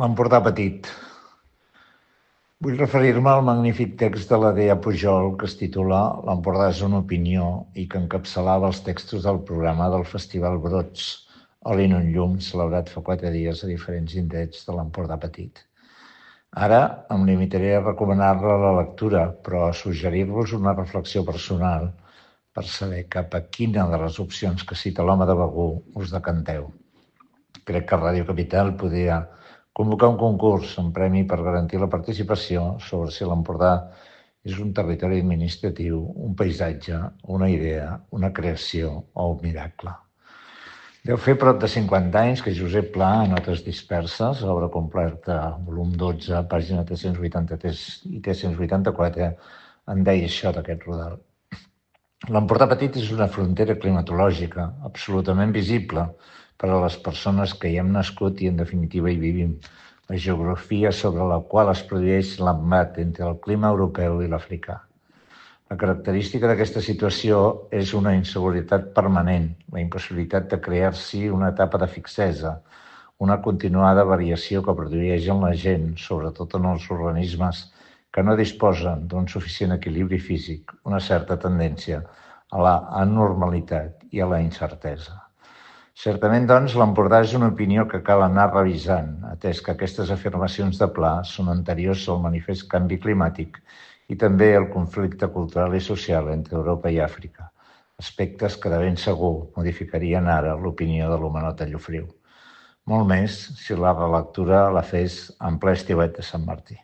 L'Empordà Petit. Vull referir-me al magnífic text de la Dea Pujol que es titula L'Empordà és una opinió i que encapçalava els textos del programa del Festival Brots, Oli en un llum, celebrat fa 4 dies a diferents indrets de l'Empordà Petit. Ara em limitaré a recomanar-la a la lectura, però a suggerir-vos una reflexió personal per saber cap a quina de les opcions que cita l'home de Begur us decanteu. Crec que Ràdio Capital podria convocar un concurs amb premi per garantir la participació sobre si l'Empordà és un territori administratiu, un paisatge, una idea, una creació o un miracle. Deu fer prop de 50 anys que Josep Pla, a Notes disperses, obra completa, volum 12, pàgina 383 i 384, en deia això d'aquest rodal. L'Empordà Petit és una frontera climatològica absolutament visible per a les persones que hi hem nascut i, en definitiva, hi vivim. La geografia sobre la qual es produeix l'embat entre el clima europeu i l'africà. La característica d'aquesta situació és una inseguretat permanent, la impossibilitat de crear-s'hi una etapa de fixesa, una continuada variació que produeix en la gent, sobretot en els organismes que no disposen d'un suficient equilibri físic, una certa tendència a la anormalitat i a la incertesa. Certament, doncs, l'Empordà és una opinió que cal anar revisant, atès que aquestes afirmacions de Pla són anteriors al manifest canvi climàtic i també al conflicte cultural i social entre Europa i Àfrica, aspectes que de ben segur modificarien ara l'opinió de l'homenot a Llofriu. Molt més si la relectura la fes en ple estiuet de Sant Martí.